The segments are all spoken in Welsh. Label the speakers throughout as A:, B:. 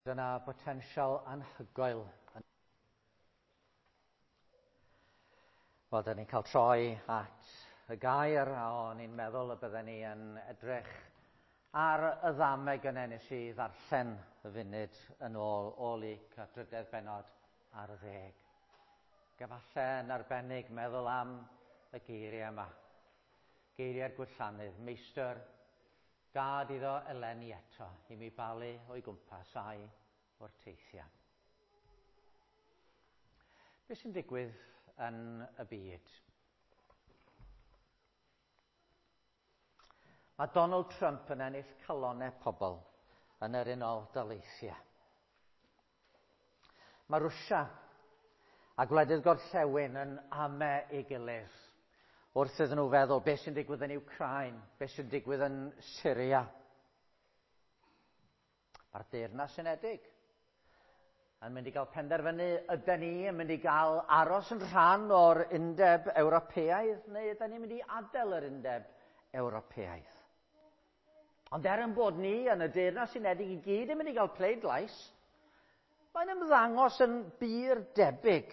A: Dyna botensial anhygoel. Wel, da ni'n cael troi at y gair, a o'n i'n meddwl y bydden ni yn edrych ar y ddameg yna nes i ddarllen y funud yn ôl o Luc a drydedd bennod ar ddeg. Gefalle yn arbennig meddwl am y geiriau yma. Geiriau'r gwirllanydd, meistr Gad iddo eleni eto i mi balu o'i gwmpas a'i wrteithiau. Be sy'n digwydd yn y byd? Mae Donald Trump yn ennill calonau pobl yn yr Unol Daleithiau. Mae Rwsia a gwledydd gorllewin yn ame ei gilydd wrth iddyn nhw feddwl beth sy'n digwydd yn Ukraine, beth sy'n digwydd yn Syria. Mae'r Deyrnas Unedig yn mynd i gael penderfynu ydyn ni yn mynd i gael aros yn rhan o'r Undeb Ewropeaidd neu ydyn ni'n mynd i adael yr Undeb Ewropeaidd. Ond er yn bod ni yn y Deyrnas Unedig i gyd yn mynd i gael pleidlais, mae'n ymddangos yn bur debyg.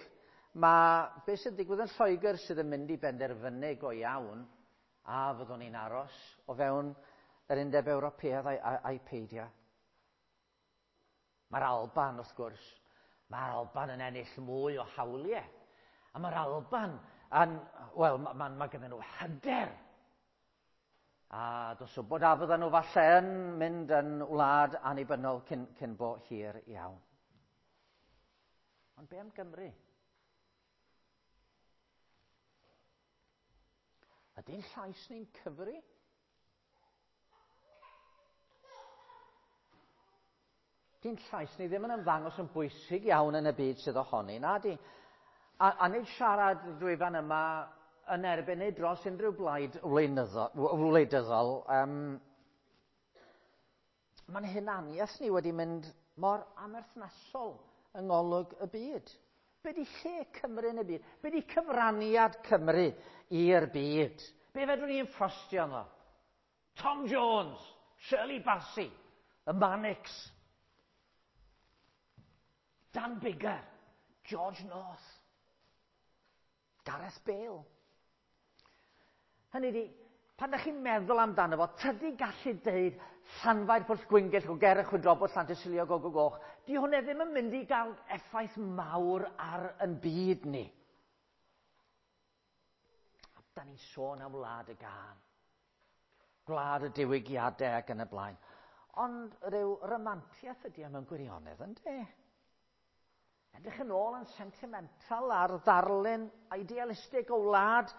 A: Mae beth sy'n digwydd yn Lloegr sydd yn mynd i benderfynu go iawn a fyddwn ni'n aros o fewn yr Undeb Ewropeaidd a'i, a'i peidio. Mae'r Alban, wrth gwrs, mae'r Alban yn ennill mwy o hawliau. A mae'r Alban yn, wel, mae, mae, mae gyda nhw hyder. A dos wybod a fyddan nhw falle yn mynd yn wlad annibynnol cyn, cyn bo hir iawn. Ond be am Gymru? Ydy'n llais ni'n cyfri? Di'n llais ni ddim yn ymddangos yn bwysig iawn yn y byd sydd ohoni, na di. A, a nid siarad drwy fan yma yn erbyn neu dros unrhyw blaid wleidyddol. Um, mae'n hunaniaeth ni wedi mynd mor amerthnasol yng ngolwg y byd. Be di lle Cymru yn y byd? Be di cyfraniad Cymru i'r byd? Be fedrwn ni'n ffrostio ynddo? Tom Jones, Shirley Bassey, y Manics, Dan Biggar, George North, Gareth Bale. Hynny di, pan da chi'n meddwl amdano fo, tydi gallu deud Llanfair Pwll Gwyngyll o ger y Chwydrobod Llantysilio Gogo Goch, di hwnna ddim yn mynd i gael effaith mawr ar yn byd ni. A da ni'n sôn am wlad y gân. Gwlad y diwygiadau ac yn y blaen. Ond rhyw ramantiaeth ydy e mewn gwirionedd, ynddi? Edrych yn ôl yn sentimental ar ddarlun idealistig o wlad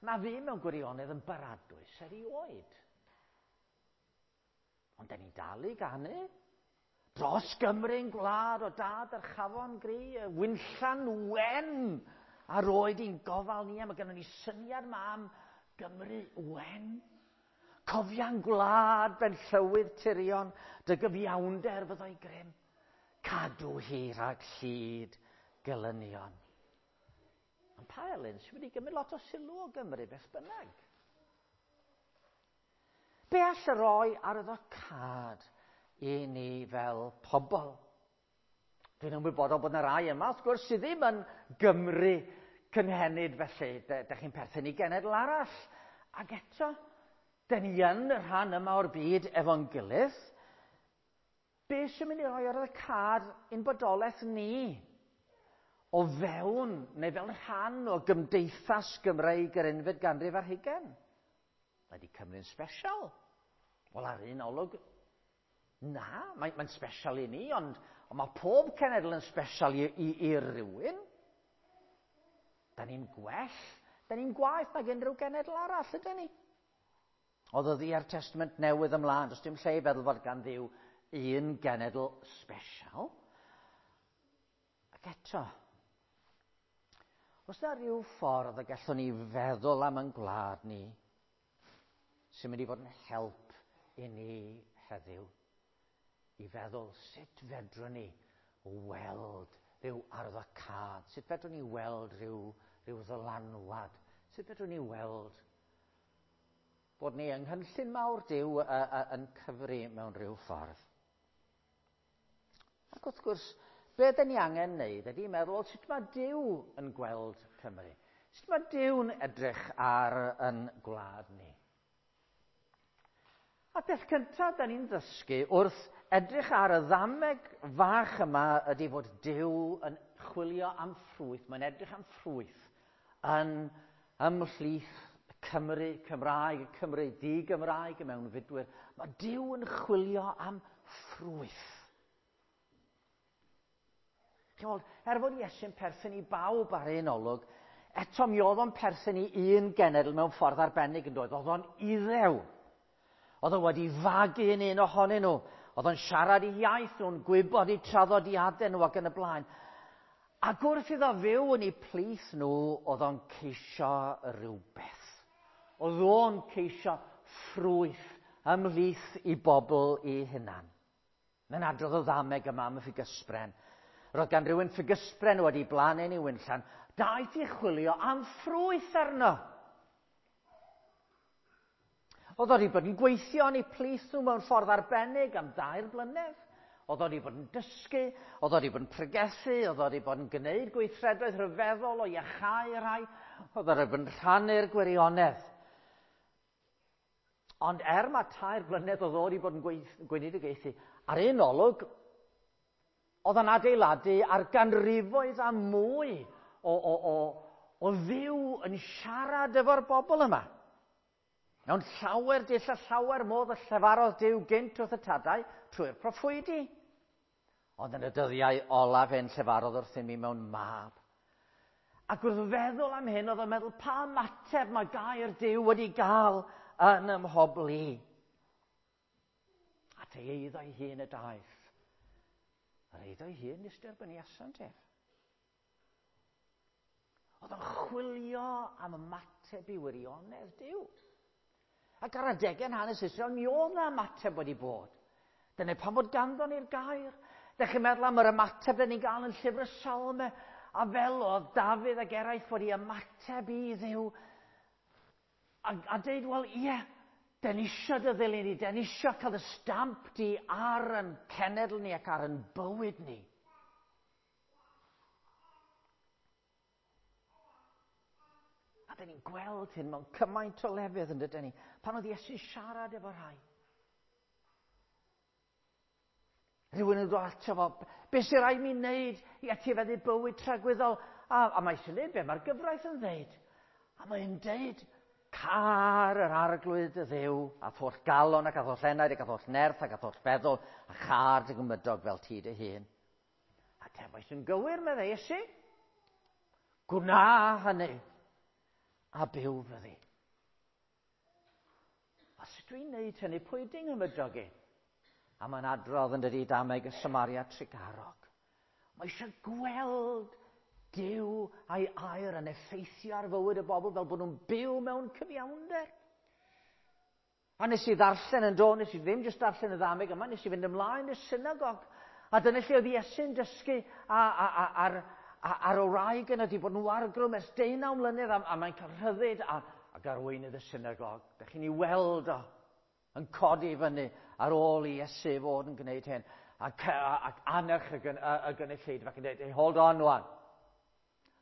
A: na fu mewn gwirionedd yn baradwys erioed. Ond da ni'n dal i ganu. Dros Gymru'n gwlad o dad yr chafon gri, y winllan wen a roed i'n gofal ni, a mae gennym ni syniad ma am Gymru wen. Cofia'n gwlad ben llywydd tirion, dy gyfiawnder fyddai grym. Cadw hi rhag llid gelynion. Ond pa Elin sy'n mynd i gymryd lot o sylw o Gymru beth bynnag? Be all y roi ar y cad i ni fel pobl? Dwi'n ymwybodol bod yna rai yma, wrth gwrs, sydd ddim yn Gymru cynhenid felly. Dych chi'n perthyn i genedl arall. Ac eto, dyn ni yn y rhan yma o'r byd efo'n gilydd. Be sy'n mynd i roi ar y cad ein bodolaeth ni? O fewn, neu fel rhan o gymdeithas Gymreig yr unfed ganrif ar hugain. Mae di Cymru'n special. Wel, ar un olwg, na, mae'n mae special i ni, ond, ond mae pob cenedl yn special i, i, i rywun. Da ni'n gwell, da ni'n gwaeth nag unrhyw genedl arall, ydyn ni? O ddyddiau'r Testament Newydd ymlaen, does dim lle i feddwl fod gan Dduw un genedl special. Ac eto, os na rhyw ffordd y gallwn ni feddwl am yn gwlad ni, sy'n mynd i fod yn help i ni heddiw, i feddwl sut fedrwn ni weld rhyw arwyddocâd, sut fedrwn ni weld rhyw, rhyw ddylanwad, sut fedrwn ni weld bod ni yng nghynllun mawr Duw yn cyfri mewn rhyw ffordd. Ac wrth gwrs, be dyn ni angen wneud ydy meddwl, sut mae Duw yn gweld Cymru? Sut mae Duw'n edrych ar yn gwlad ni? A peth cyntaf da ni'n ddysgu wrth edrych ar y ddameg fach yma ydy fod Duw yn chwilio am ffrwyth, mae'n edrych am ffrwyth yn ymhlith y Cymry Cymraeg, y Cymry di-Gymraeg, y mewnfudwyr. Mae Duw yn chwilio am ffrwyth. Chi'n er fod Iesu'n perthyn i bawb ar un olwg, eto mi oedd o'n perthyn i un genedl mewn ffordd arbennig yn doedd. Oedd o'n Iddew. Oedd o wedi fagu yn un ohonyn nhw. Oedd o'n siarad i iaith nhw'n gwybod eu traddodiadau nhw ac yn y blaen. Ac wrth iddo fyw yn eu plith nhw, oedd o'n ceisio rhywbeth. Oedd o'n ceisio ffrwyth ymhlith i bobl i hunan. Mae'n adrodd o ddameg yma am y ffigysbren. Roedd gan rhywun ffigysbren wedi blannu yn ei winllan. Daeth i chwilio am ffrwyth arno. Oedd o wedi bod yn gweithio yn eu plith nhw mewn ffordd arbennig am 3 blynedd. Oedd o wedi bod yn dysgu, oedd o wedi bod yn pregethu, oedd o wedi bod yn gwneud gweithredoedd rhyfeddol o iachau rhai, oedd o wedi bod yn rhannu'r gwirionedd. Ond er mae 3 blynedd oedd o wedi bod yn gweinidogaethu, ar un olwg, oedd o'n adeiladu ar ganrifoedd a mwy o Dduw yn siarad efo'r bobl yma. Mewn llawer dull a llawer modd y llefarodd Duw gynt wrth y tadau trwy'r proffwydi. Ond yn y dyddiau olaf hyn llefarodd wrthym ni mewn mab. Ac wrth feddwl am hyn, oedd o'n meddwl pa ymateb mae gair Duw wedi gael yn ym mhobl i. At ei eiddo ei hun y daeth. Yr eiddo ei hun nes derbyniasant ef. Oedd o'n chwilio am ymateb i wirionedd Duw. Ac ar adegau yn hanes Israel, mi oedd 'na ymateb wedi bod. Dyna pam fod ganddo ni'r gair. Dech chi'n meddwl am yr ymateb dyn ni'n gael yn llyfr y Salmau, a fel oedd Dafydd ac eraill wedi ymateb i Dduw, a deud, wel, ie, den ni isio dy ddilyn ni, den ni isio cael y stamp di ar yn cenedl ni ac ar yn bywyd ni. A dyn ni'n gweld hyn mewn cymaint o lefydd yn dydyn ni, pan oedd Iesu'n siarad efo rhai. Rhywun yn dod ato fo, be sy'n rhaid mi wneud i etifeddu bywyd tragwyddol? A mae eisiau gwneud be mae'r gyfraith yn ddeud. A mae'n deud, car yr arglwydd dy Dduw, a tholl galon ac a tholl enaid ac a tholl nerth ac a tholl feddwl, a char dy gymydog fel ti dy hun. A tebais yn gywir, meddai Iesu. Gwna hynny, a byw fyddi. A sut dwi'n neud hynny, pwy ydy'n nghymydog i? A mae'n adrodd yn dydi dameg y Samaria Trugarog. Mae eisiau gweld Duw a'i air yn effeithio ar fywyd y bobl fel bod nhw'n byw mewn cyfiawnder. A nes i ddarllen yn do, nes i ddim jyst darllen y ddameg yma, nes i fynd ymlaen i'r synagog. A dyna lle oedd Iesu'n dysgu ar y wraig yna wedi bod yn wargrwm ers 19 mlynedd a mae'n cael rhyddid ac arweinydd y synagog. Dych chi'n ei weld o yn codi fyny ar ôl i Iesu fod yn gwneud hyn. Ac annerch y gynulleidfa ac yn dweud, hey, hold on wan.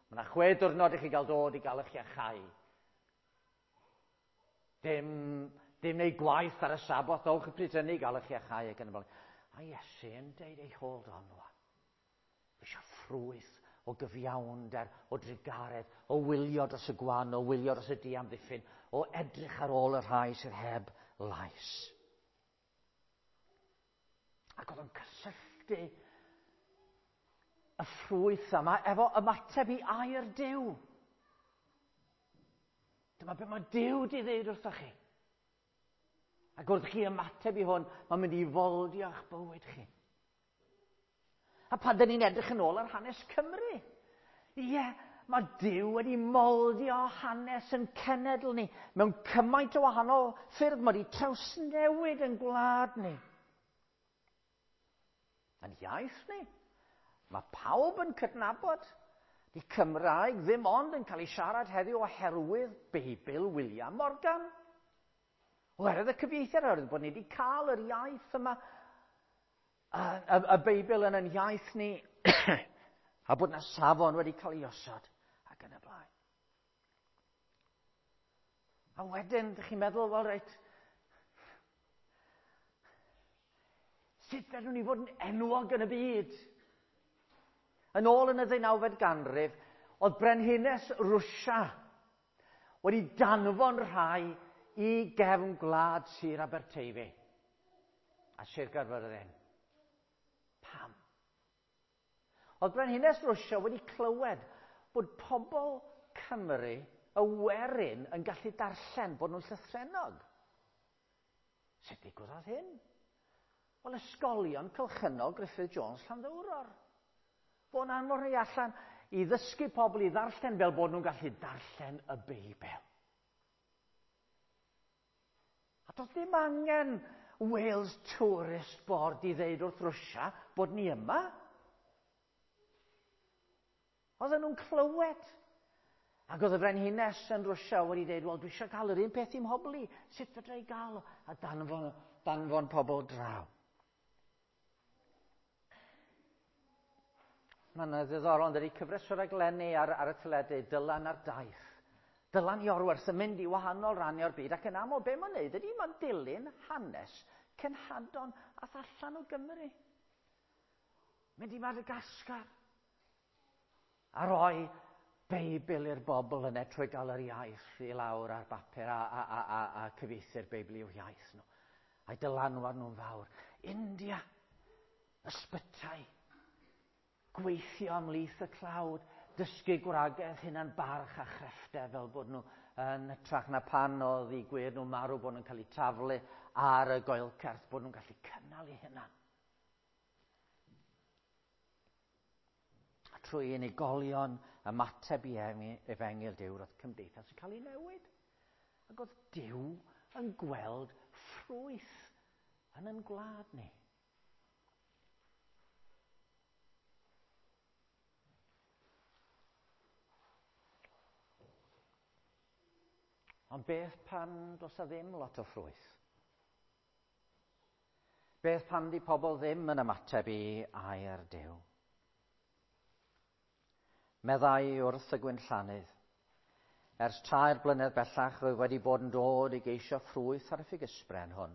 A: Mae yna 6 diwrnod i chi gael dod i gael eich iachau. Dim neu gwaith ar y Saboth, dowch y pryd hynny i gael eich iachau ac yn y blaen. A Iesu yn dweud, hey, hold on wan. Fi eisiau ffrwyth o gyfiawnder, o drugaredd, o wylio dros y gwan, o wylio dros y diamddiffyn, o edrych ar ôl y rhai sydd heb lais. Ac oedd o'n cysylltu y ffrwyth yma efo ymateb i air Duw. Dyma beth mae Duw di ddeud wrthoch chi. Ac wrth chi ymateb i hwn, mae'n mynd i foldio eich bywyd chi. A pan dyn ni'n edrych yn ôl ar hanes Cymru, ie, mae Duw wedi moldio hanes yn cenedl ni mewn cymaint o wahanol ffyrdd. Mae wedi trawsnewid yn gwlad ni. Yn iaith ni. Mae pawb yn cydnabod di Cymraeg ddim ond yn cael ei siarad heddiw oherwydd Beibl William Morgan. Oherwydd y cyfieithiad, oherwydd bod ni wedi cael yr iaith yma. y Beibl yn yn iaith ni, a bod na safon wedi cael ei osod, ac yn y blaen. A wedyn, dych chi'n meddwl, wel reit, sut fedrwn ni fod yn enwog yn y byd? Yn ôl yn y ddeunawfed ganrif, oedd brenhines Rwsia wedi danfon rhai i gefn gwlad Sir Aberteifi a Sir Gaerfyrddin. Pam? Oedd brenhines Rwsia wedi clywed bod pobl Cymru, y werin, yn gallu darllen, bod nhw'n llythrennog. Sut ddigwyddodd hyn? Wel, ysgolion cylchynol Griffith Jones Llanddowror. Fo'n anfon rhai allan i ddysgu pobl i ddarllen fel bod nhw'n gallu darllen y Beibl. A doedd ddim angen Wales Tourist Board i ddeud wrth Rwsia bod ni yma. Oedden nhw'n clywed. Ac oedd y frenhines yn Rwsia wedi dweud, wel, dwi eisiau cael yr un peth i'm hobl i. Sut fedra i gael o? A danfon pobl draw. Mae yna ddiddorol, yn dydi, cyfres o raglenni ar y teledu, Dylan ar daith. Dylan Iorwerth yn mynd i wahanol rannau o'r byd, ac yn aml, be mae'n neud ydy mae'n dilyn hanes cenhadon ath allan o Gymru. Mynd i Madagascar. A roi Beibl i'r bobl yna trwy gael yr iaith i lawr ar bapur a cyfieithu'r Beibl i'w iaith nhw. A'i dylanwad nhw'n fawr. India, ysbytai, gweithio ymhlith y tlawd, dysgu gwragedd hunan barch a chrefftau fel bod nhw yn hytrach na pan oedd eu gwŷr nhw marw bod nhw'n cael eu taflu ar y goelcerth, bod nhw'n gallu cynnal eu hunan. A trwy unigolion ymateb i efengyl Duw, roedd cymdeithas yn cael ei newid. Ac oedd Duw yn gweld ffrwyth yn ein gwlad ni. Ond beth pan does 'na ddim lot o ffrwyth? Beth pan di pobl ddim yn ymateb i air Duw? Meddai wrth y gwinllannydd, ers 3 blynedd bellach rwy wedi bod yn dod i geisio ffrwyth ar y ffigysbren hwn,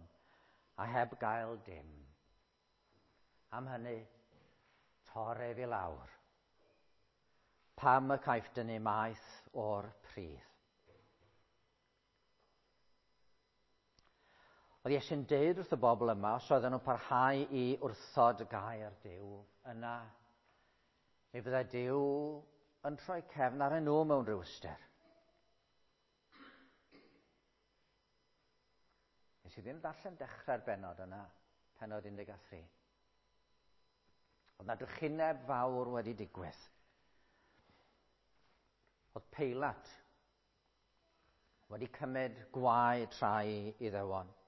A: a heb gael dim. Am hynny, tor ef i lawr. Pam y caiff dynnu maeth o'r pridd? Oedd Iesu'n deud wrth y bobl yma, os oedden nhw'n parhau i wrthod gair Duw, yna mi fyddai Duw yn troi cefn ar nhw mewn rhyw ystyr. Nes i ddim darllen dechrau'r bennod yna, pennod 13. Oedd na drychineb fawr wedi digwydd. Oedd Peilat wedi cymryd gwaed rhai Iddewon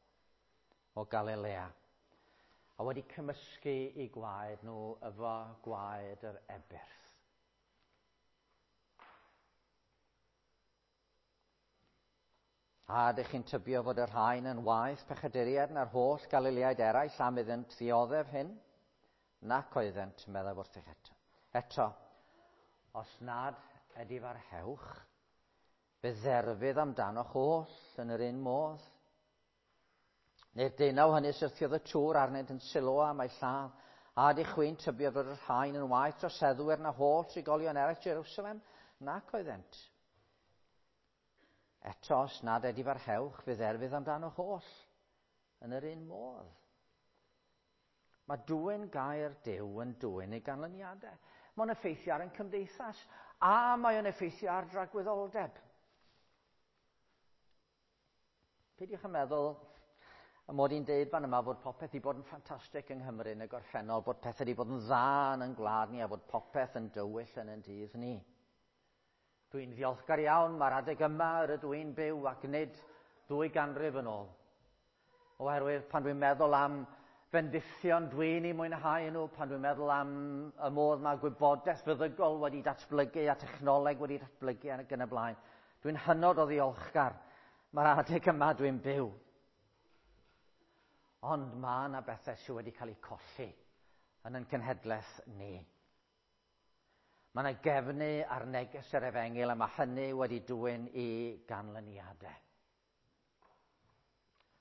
A: o Galilea a wedi cymysgu eu gwaed nhw efo gwaed yr ebyrth. A ydych chi'n tybio fod y rhain yn waeth pechaduriaid na'r holl Galileaid eraill am iddynt ddioddef hyn? Nac oeddent, meddaf wrthych eto. Eto, os nad edifarhewch, fe dderfydd amdanoch oll yn yr un modd. Neu'r deunaw hynny syrthiodd y tŵr arnynt yn Siloa am eu lladd, a ydych chwi'n tybio fod y rhain yn waeth troseddwyr na holl trigolion eraill Jerusalem? Nac oeddent. Eto, os nad edifarhewch, fe dderfydd amdanoch oll yn yr un modd. Mae dwyn gair Duw yn dwyn ei ganlyniadau. Mae'n effeithio ar ein cymdeithas, a mae o'n effeithio ar dragwyddoldeb. Peidiwch yn meddwl y mod i'n deud fan yma fod popeth wedi bod yn ffantastig yng Nghymru yn y gorffennol, bod pethau wedi bod yn dda yn ein gwlad ni a bod popeth yn dywyll yn ein dydd ni. Dwi'n ddiolchgar iawn, mae'r adeg yma yr ydw i'n byw ac nid 2 ganrif yn ôl. Oherwydd pan dwi'n meddwl am fendithion dwi'n ei mwynhau nhw, pan dwi'n meddwl am y modd mae gwybodaeth feddygol wedi datblygu a technoleg wedi datblygu ac yn y blaen, dwi'n hynod o ddiolchgar. Mae'r adeg yma dwi'n byw. Ond mae yna bethau sydd wedi cael eu colli yn ein cenhedlaeth ni. Mae yna gefnu ar neges yr efengyl a mae hynny wedi dwyn i ganlyniadau.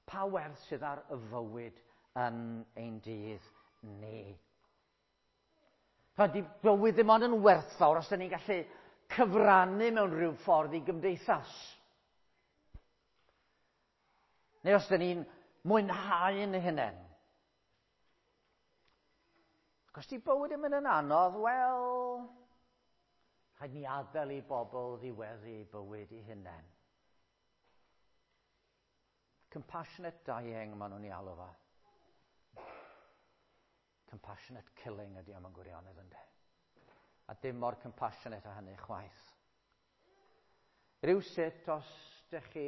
A: Pa werth sydd ar y fywyd yn ein dydd ni? Di bywyd ddim ond yn werthfawr os ydyn ni'n gallu cyfrannu mewn rhyw ffordd i gymdeithas. Neu os ydyn ni'n mwynhau yn hunain. Ac os di bywyd yn mynd yn anodd, wel, rhaid ni adael i bobl ddiweddu bywyd i hunain. Compassionate dying, maen nhw'n ei alw fo. Compassionate killing ydy am yn gwirionedd ynddo. A dim mor compassionate a hynny chwaith. Rhywsut, os ydych chi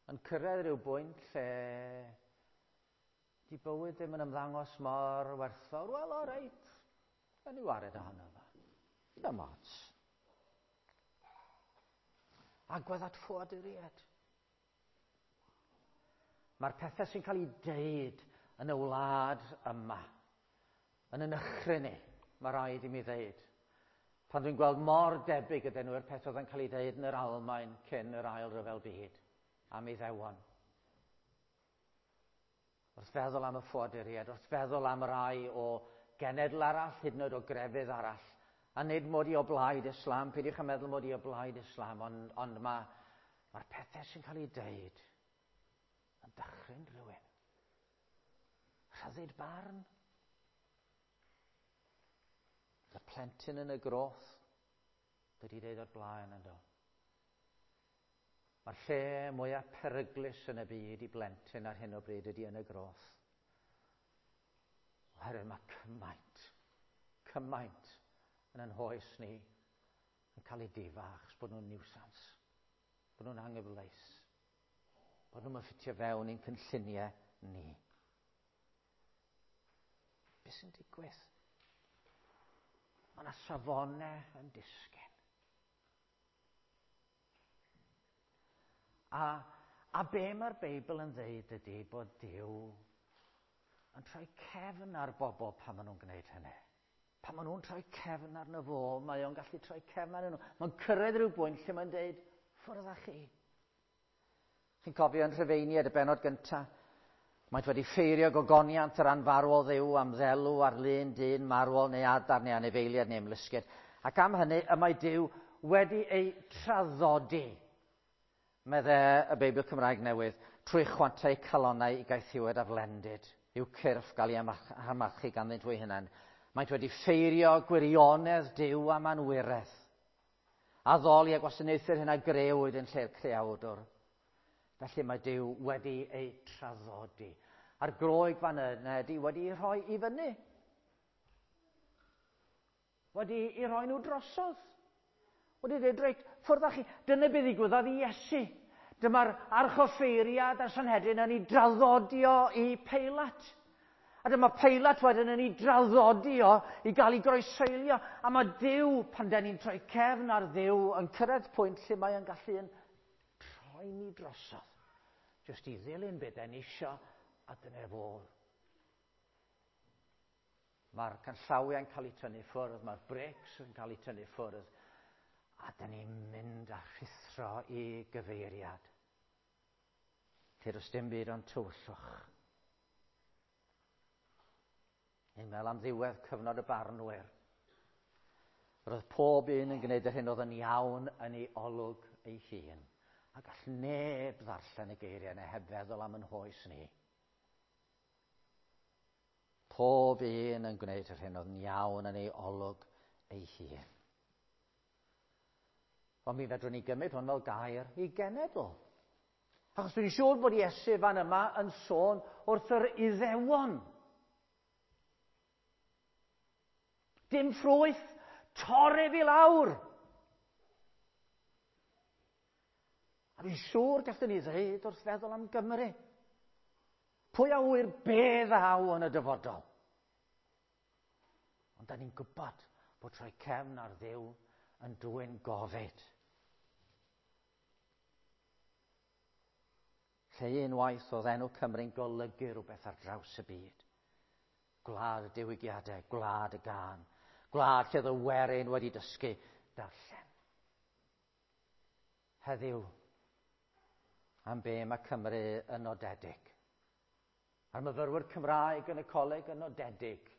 A: yn cyrraedd rhyw bwynt lle di bywyd ddim yn ymddangos mor werthfawr, wel, o reit, yn i wared ohono fo. Dim ots. Agwedd at ffoaduriaid. Mae'r pethau sy'n cael ei deud yn y wlad yma, yn yn nychryn ni, mae rhaid i mi ddeud. Pan dwi'n gweld mor debyg ydyn nhw i'r peth oedd yn cael ei ddeud yn yr Almaen cyn yr Ail Ryfel Byd am Iddewon. Wrth feddwl am y ffoaduriaid, wrth feddwl am rai o genedl arall, hyd yn oed o grefydd arall, a nid mod i o blaid Islam, peidiwch â meddwl mod i o blaid Islam, ond, ond mae'r ma pethau sy'n cael ei deud yn dychryn rhywun. Rhyddid barn. Y plentyn yn y groth, dydy deud o'r blaen yn do. Mae'r lle mwyaf peryglus yn y byd i blentyn ar hyn o bryd ydy yn y groth. Oherwydd mae cymaint, cymaint yn yn hoes ni yn cael ei difa achos bod nhw'n niwsans, bod nhw'n anghyfleus, bod nhw'n ffitio fewn i'n cynlluniau ni. Beth sy'n digwydd? Mae yna safonau yn disgyn. A, a be mae'r Beibl yn dweud ydy bod Duw yn troi cefn ar bobl pan maen nhw'n gwneud hynny. Pan maen nhw'n troi cefn arno fo, mae o'n gallu troi cefn arno nhw. Mae'n cyrraedd rhyw bwynt lle mae'n dweud, ffwrdd â chi. Chi'n cofio yn Rhufeiniaid y benod gyntaf? Maent wedi ffeirio gogoniant yr anfarwol Dduw am ddelw ar lun dyn marwol neu adar neu anifeiliaid neu ymlusgiaid. Ac am hynny y mae Duw wedi ei traddodi, medde y Beibl Cymraeg Newydd, trwy chwantau calonnau i gaethiwed a flendid, i'w cyrff gael ei amarchu ganddynt hwy hunain. Maent wedi ffeirio gwirionedd Duw am anwiredd, addoli a gwasanaethu'r hyn a grëwyd yn lle'r creawdwr. Felly mae Duw wedi ei traddodi. A'r Groeg fan yna ydy wedi ei rhoi i fyny. Wedi ei rhoi nhw drosodd. Wedi dweud, reit, ffwrdd â chi. Dyna beth ddigwyddodd i Iesu. Dyma'r archoffeiriad a'r Sanhedrin yn ei draddodio i Peilat. A dyma Peilat wedyn yn ei draddodio i gael ei groeseilio. A mae Duw, pan den ni'n troi cefn ar Dduw, yn cyrraedd pwynt lle mae o'n gallu yn troi ni drosodd. Jyst i ddilyn beth den isio, a dyna fo. Mae'r canllawiau'n cael eu tynnu ffwrdd, mae'r breaks yn cael eu tynnu ffwrdd, a dyn ni'n mynd a rhuthro i gyfeiriad. Lle does dim byd ond tywyllwch. Ni'n meddwl am ddiwedd cyfnod y barnwyr. Roedd pob un yn gwneud yr hyn oedd yn iawn yn ei olwg ei hun. A gall neb ddarllen y geiriau yna heb feddwl am yn hoes ni. Pob un yn gwneud yr hyn oedd yn iawn yn ei olwg ei hun. Ond mi fedrwn ni gymryd hwn fel gair i genedl. Achos dwi'n siŵr bod Iesu fan yma yn sôn wrth yr Iddewon. Dim ffrwyth, torri fi lawr. A fi'n siŵr gallwn ni ddweud wrth feddwl am Gymru. Pwy a ŵyr be ddaw yn y dyfodol? Ond da ni'n gwybod bod troi cefn ar Dduw yn dwyn gofid. Lle unwaith oedd enw Cymru'n golygu rhywbeth ar draws y byd. Gwlad y diwygiadau, gwlad y gân, gwlad lle oedd y werin wedi dysgu darllen. Heddiw, am be mae Cymru yn nodedig. A'r myfyrwyr Cymraeg yn y coleg yn nodedig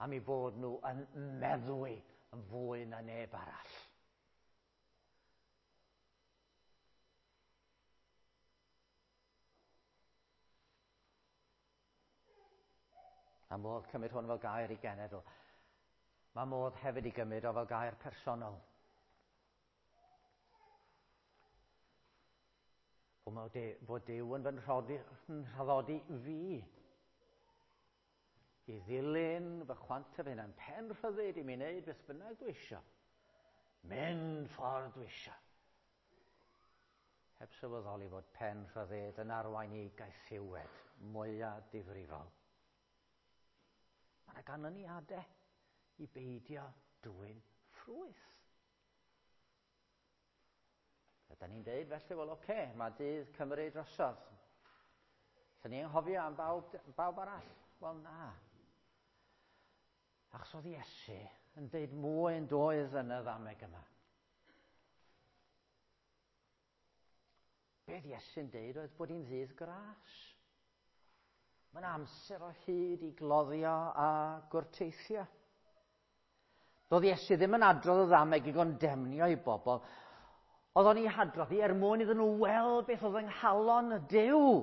A: am eu bod nhw yn meddwi yn fwy na neb arall. Mae modd cymryd hwn fel gair i genedl. Mae modd hefyd i gymryd o fel gair personol. Fod Duw yn fy nhraddodi fi i ddilyn fy chwant fy hunan, pen rhyddid i mi wneud beth bynnag dwi eisiau. Mynd ffordd dwi eisiau. Heb sylweddoli fod pen rhyddid yn arwain i gaethiwed mwyaf difrifol. Mae yna ganlyniadau i beidio dwyn ffrwyth. Ydy ni'n deud felly, wel oce, okay, mae dydd Cymru drosodd. Lle ni'n anghofio am bawb, bawb arall? Wel na. Achos oedd Iesu yn deud mwy yn doedd yn y ddameg yma. Beth Iesu'n deud oedd bod hi'n ddydd gras. Mae'n amser o hyd i gloddio a gwrteithio. Doedd Iesu ddim yn adrodd y ddameg i gondemnio i bobl. Oedd o'n ei hadrodd i er mwyn iddyn nhw weld beth oedd yng nghalon y Duw.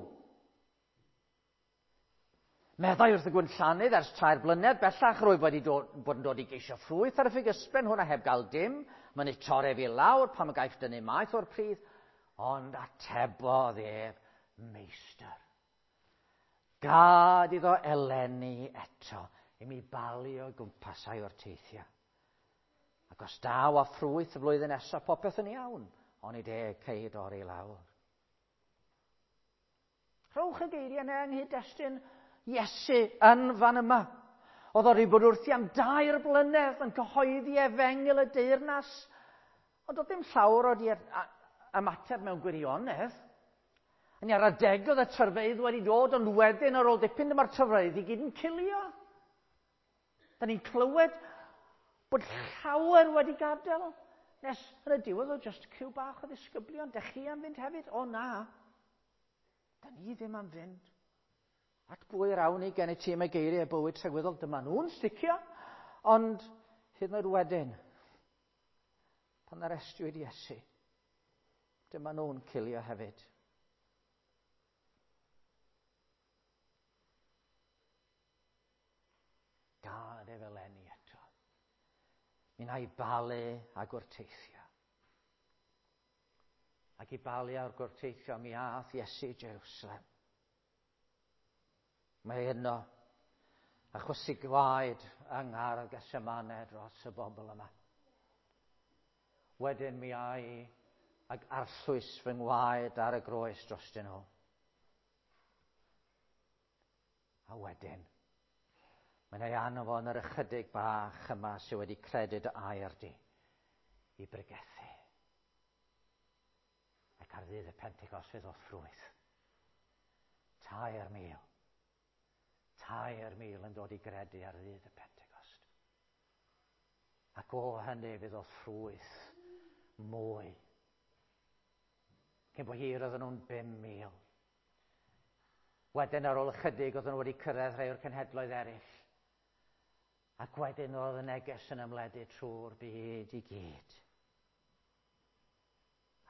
A: Meddai wrth y gwynllanydd ers 3 blynedd bellach rwyf wedi dod, bod yn dod i geisio ffrwyth ar y ffigysben hwnna heb gael dim. Mae'n ei torri fi lawr pam y gaiff dynnu maeth o'r pridd. Ond atebodd ef, meistr. Gad iddo eleni eto i mi balu o gwmpas a'i wrteithio. Ac os daw â ffrwyth y flwyddyn nesaf, popeth yn iawn, ond i deg cei dorri lawr. Rhowch y geiriau yna yng nghyd-destun Iesu yn fan yma. Oedd o wedi bod wrthi am 3 blynedd yn cyhoeddi efengyl y deyrnas, ond oedd ddim llawer o di ymateb mewn gwirionedd. Yn ar adeg oedd y tyrfeydd wedi dod, ond wedyn ar ôl dipyn dyma'r tyrfeydd i gyd yn cilio. Da ni'n clywed bod llawer wedi gadael. Nes yn y diwedd oedd just cyw bach o ddisgyblion. Dych chi am fynd hefyd? O na. Da ni ddim am fynd. At bwy yr awn ni gen i ti am y geiriau bywyd tragwyddol? Dyma nhw'n sticio. Ond hyd yn oed wedyn, pan arestiwyd Iesu, dyma nhw'n cilio hefyd. Gad ef eleni eto. Mi wna i balu a gwrteithio. Ac i balu a'r gwrteithio mi ath Iesu Jerusalem. Mae yno a chwysu gwaed yng Nghardd Gethsemane dros y bobl yma. Wedyn mi ai ag arllwys fy ngwaed ar y groes drostyn nhw. A wedyn, mae'n ei anfon yr ychydig bach yma sydd wedi credu dy air di i bregethu. Ac ar ddydd y Pentecost fydd o ffrwyth. 3,000. 3,000 yn dod i gredu ar ddydd y Pentecost. Ac o hynny fydd o ffrwyth mwy. Cyn bo hir oedden nhw'n 5,000. Wedyn ar ôl ychydig oedden nhw wedi cyrraedd rhai o'r cenhedloedd eraill. Ac wedyn oedd y neges yn ymledu trwy'r byd i gyd.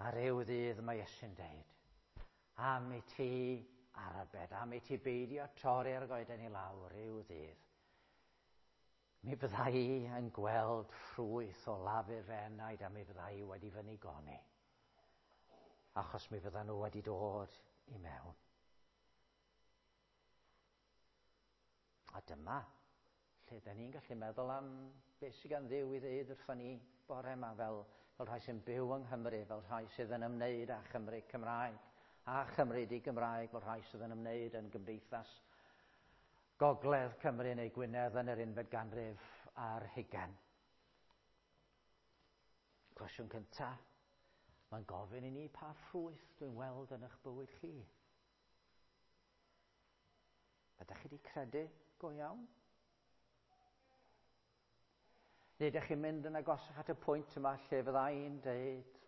A: A ryw ddydd mae Iesu'n deud, am i ti arbed, am i ti beidio torri'r goeden i lawr ryw ddydd. Mi fydda i yn gweld ffrwyth o lafur fy enaid a mi fydda i wedi fy nigoni. Achos mi fydda nhw wedi dod i mewn. A dyma lle da ni'n gallu meddwl am beth sydd gan Dduw i ddeud wrthon ni bore yma fel rhai sy'n byw yng Nghymru, fel rhai sydd yn ymwneud â Chymru Cymraeg, a Chymru di-Gymraeg, fel rhai sydd yn ymwneud yn gymdeithas Gogledd Cymru neu Gwynedd yn yr unfed ganrif ar hugain. Cwestiwn cyntaf, mae'n gofyn i ni pa ffrwyth dwi'n weld yn eich bywyd chi. Ydych chi wedi credu go iawn? Neu ydych chi'n mynd yn agosach at y pwynt yma lle fydda i'n deud,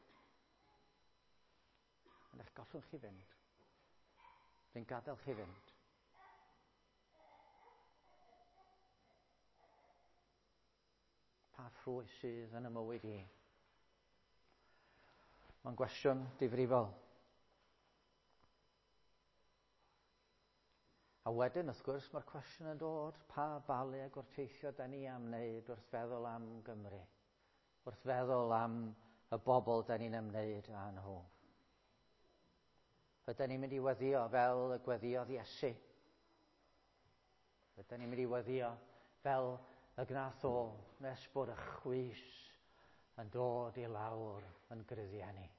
A: yn eich gollwng chi fynd. Dwi'n gadael chi fynd. Pa ffrwyth sydd yn y mywyd i? Mae'n gwestiwn difrifol. A wedyn, wrth gwrs, mae'r cwestiwn yn dod, pa balu a gwrteithio da ni am wneud wrth feddwl am Gymru? Wrth feddwl am y bobl da ni'n ymwneud â nhw? Ydyn ni'n mynd i weddio fel y gweddiodd Iesu? Ydyn ni'n mynd i weddio fel y gnath o nes bod y chwys yn dod i lawr yn gruddiau ni?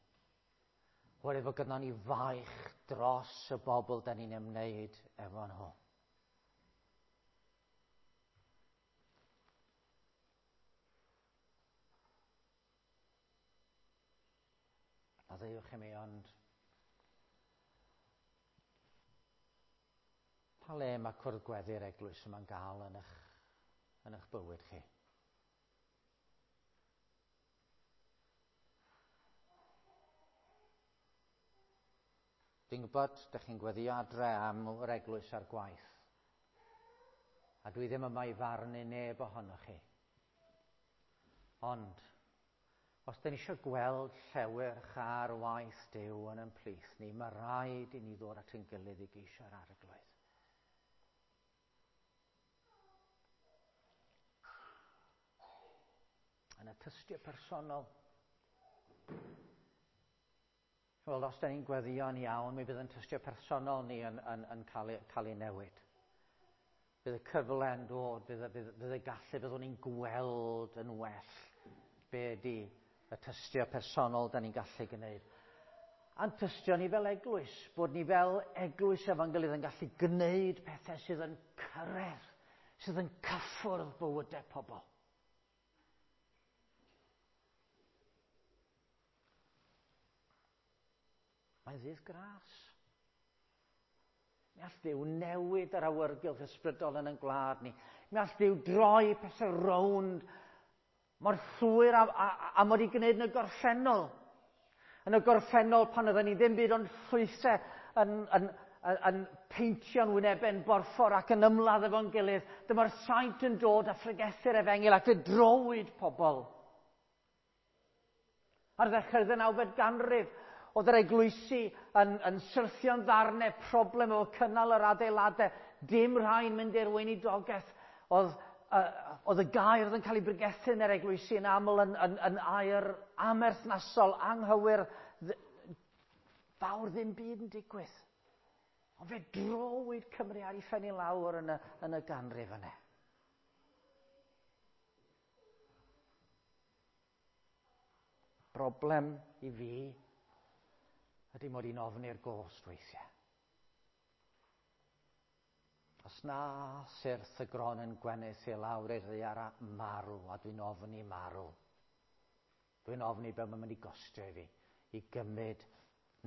A: Oherwydd fod gynnon ni faich dros y bobl da ni'n ymwneud efo nhw. Maddeuwch i mi, ond pa le mae cwrdd gweddi'r eglwys yma'n gael yn eich, yn eich bywyd chi? Dwi'n gwybod, ydych chi'n gweddio adre am yr eglwys a'r gwaith. A dwi ddim yma i farnu neb ohonoch chi. Ond, os dyn ni eisiau gweld llewyrch ar waith Duw yn ein plith ni, mae rhaid i ni ddod at ein gilydd i geisio'r arglwydd. Yn y tystio personol. Wel, os da ni'n gweddio'n iawn, mi fydd yn tystio personol ni yn, yn, yn cael, ei, cael ei newid. Bydd y cyfle yn dod, bydd, bydd, bydd y gallu, byddwn ni'n gweld yn well be ydy y tystio personol da ni'n gallu gwneud. A'n tystio ni fel eglwys, bod ni fel eglwys efo'n gilydd yn gallu gwneud pethau sydd yn cyrraedd, sydd yn cyffwrdd bywydau pobl. Mae'n ddydd gras. Mi all Dduw newid yr awyrgylch ysbrydol yn ein gwlad ni. Mi all Dduw droi pethau rownd mor llwyr a, a, a mod i gwneud yn y gorffennol. Yn y gorffennol pan oedden ni ddim byd ond llwythau yn, yn, yn, yn peintio'n wynebau'n borffor ac yn ymladd efo'n gilydd, dyma'r saint yn dod a phregethu'r efengyl ac fe drowyd pobl. Ar ddechrau'r ddeunawfed ganrif, oedd yr eglwysi yn, yn syrthio'n ddarnau, problem efo cynnal yr adeiladau, dim rhai'n mynd i'r weinidogaeth. Oedd, uh, oedd y gair oedd yn cael ei bregethu yn yr eglwysi yn aml yn, yn, yn air amerthnasol, anghywir, fawr ddim byd yn digwydd. Ond fe drowyd Cymru ar ei phen i lawr yn y, yn y ganrif yna. Broblem i fi ydy mod i'n ofni'r gost weithiau. Os na syrth y gron yn gwenith i lawr i'r ddaear a marw, a dwi'n ofni marw. Dwi'n ofni be mae'n mynd i gostio i fi i gymryd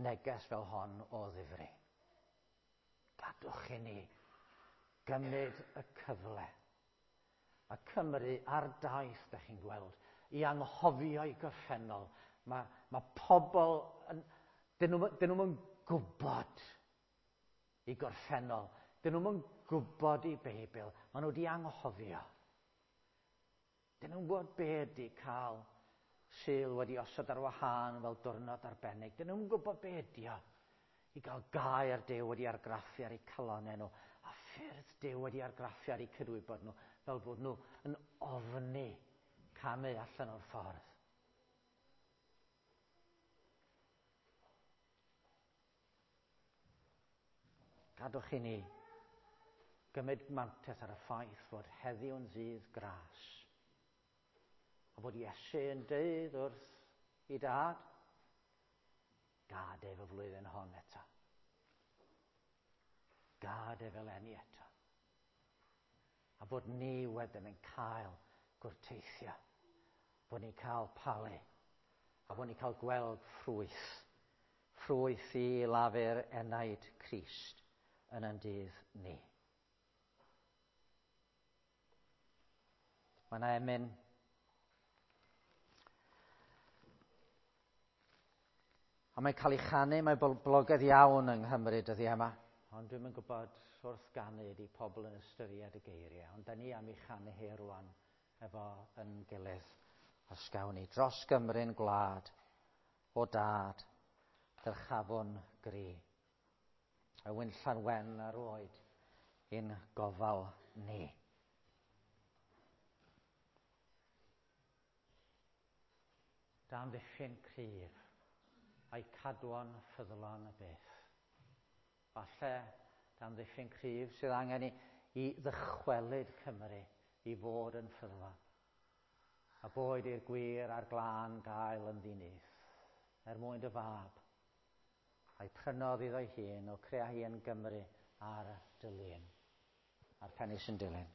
A: neges fel hon o ddifri. Gadwch i ni gymryd y cyfle. A Cymru ar daith, da chi'n gweld, i anghofio i gorffennol. Mae, mae pobl, yn, dyn nhw'n dyn nhw gwybod i gorffennol. Dyn nhw'n gwybod i Beibl. Maen nhw wedi anghofio. Dyn nhw'n gwybod be ydy cael Sul wedi osod ar wahân fel diwrnod arbennig. Dyn nhw'n gwybod be ydy o i gael gair Duw wedi argraffu ar eu calonnau nhw a ffyrdd Duw wedi argraffu ar eu cydwybod nhw fel bod nhw yn ofni camu allan o'r ffordd. Gadwch i ni gymryd mantais ar y ffaith fod heddiw'n ddydd gras. A bod Iesu yn deud wrth i dad, gad ef y flwyddyn hon eto. Gad ef eleni eto. A bod ni wedyn yn cael gwrteithio. Bod ni'n cael palu. A bod ni'n cael gweld ffrwyth. Ffrwyth i lafur enaid Crist yn ein dydd ni. Mae yna emyn A mae'n cael ei chanu, mae'n boblogaidd iawn yng Nghymru dyddiau yma. Ond dwi'm yn gwybod wrth ganu ydy pobl yn ystyried y geiriau. Ond da ni am ei chanu hi rwan efo yn gilydd. Os gawn ni dros Gymru'n gwlad, o dad, dyrchafwn gri. Y winllan wen ar oed i'n gofal ni. Dan ddiffyn cryf a'i cadwon ffyddlon y byth. Falle dan ddiffyn cryf sydd angen i ddychwelyd Cymru i fod yn ffyddlon. A boed i'r gwir a'r glân gael yn ddinyth, er mwyn dy fab, a'i prynodd iddo'i hun o crea hi yn Gymru ar dy lun. A'r pennill yn dilyn.